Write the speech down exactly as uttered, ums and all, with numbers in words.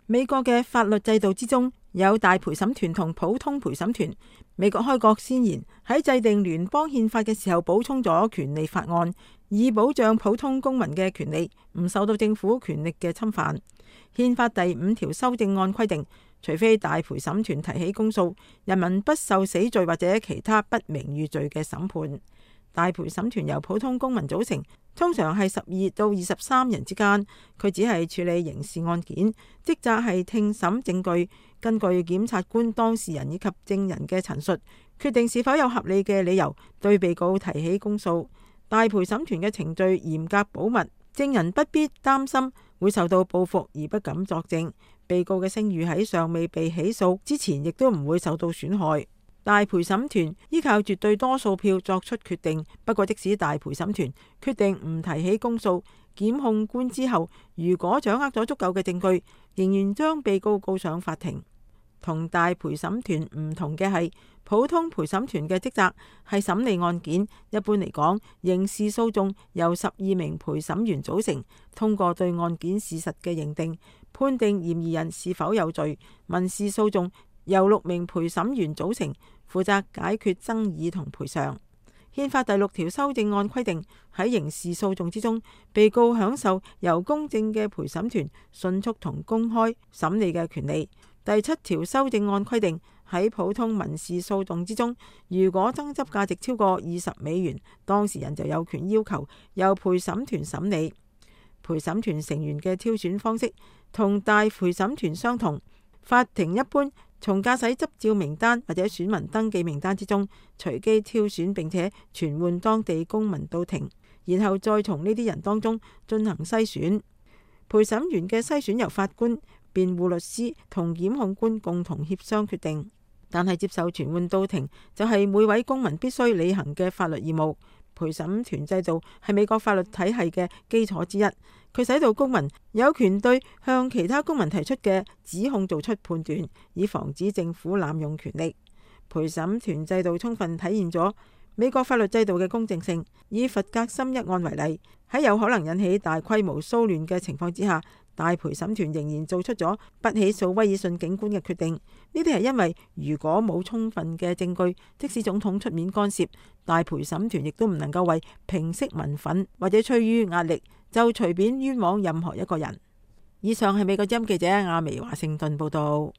美國嘅法律制度之中有大陪審團同普通陪審團。美國開國先賢喺制定聯邦憲法嘅時候補充咗權利法案，以保障普通公民嘅權利唔受到政府權力嘅侵犯。憲法第五條修正案規定，除非大陪審團提起公訴，人民不受死罪或者其他不名譽罪嘅審判。大陪審團由普通公民組成，通常係十二到二十三人之間。佢只係處理刑事案件，職責係聽審證據，根據檢察官、當事人以及證人嘅陳述，決定是否有合理嘅理由對被告提起公訴。大陪審團嘅程序嚴格保密，證人不必擔心會受到報復而不敢作證。被告嘅聲譽喺尚未被起訴之前，亦都唔會受到損害。大陪審團依靠絕對多數票作出決定。不過，即使大陪審團決定唔提起公訴，檢控官之後如果掌握咗足夠嘅證據，仍然將被告告上法庭。同大陪審團唔同嘅係，普通陪審團嘅職責係審理案件。一般嚟講，刑事訴訟由十二名陪審員組成，通過對案件事實嘅認定，判定嫌疑人是否有罪。民事訴訟由六名陪審員組成，負責解決爭議同賠償。憲法第六條修正案規定，喺刑事訴訟之中，被告享受由公正嘅陪審團迅速同公開審理嘅權利。第七條修正案規定，喺普通民事訴訟之中，如果爭執價值超過二十美元，當事人就有權要求由陪審團審理。陪審團成員嘅挑選方式同大陪審團相同。法庭一般從駕駛執照名單或者選民登記名單之中隨機挑選，並且傳喚當地公民到庭，然後再從呢啲人當中進行篩選。陪審員嘅篩選由法官、辯護律師同檢控官共同協商決定，但係接受傳喚到庭就係每位公民必須履行嘅法律義務。陪審團制度係美國法律體系嘅基礎之一，佢使到公民有權對向其他公民提出嘅指控做出判斷，以防止政府濫用權力。陪審團制度充分體現咗美國法律制度嘅公正性。以弗格森一案為例，喺有可能引起大規模騷亂嘅情況之下，大陪審團仍然做出咗不起訴威爾遜警官嘅決定。呢啲係因為如果冇充分嘅證據，即使總統出面干涉，大陪審團亦都唔能夠為平息民憤或者趨於壓力就隨便冤枉任何一個人。以上係美國之音記者亞薇華盛頓報道。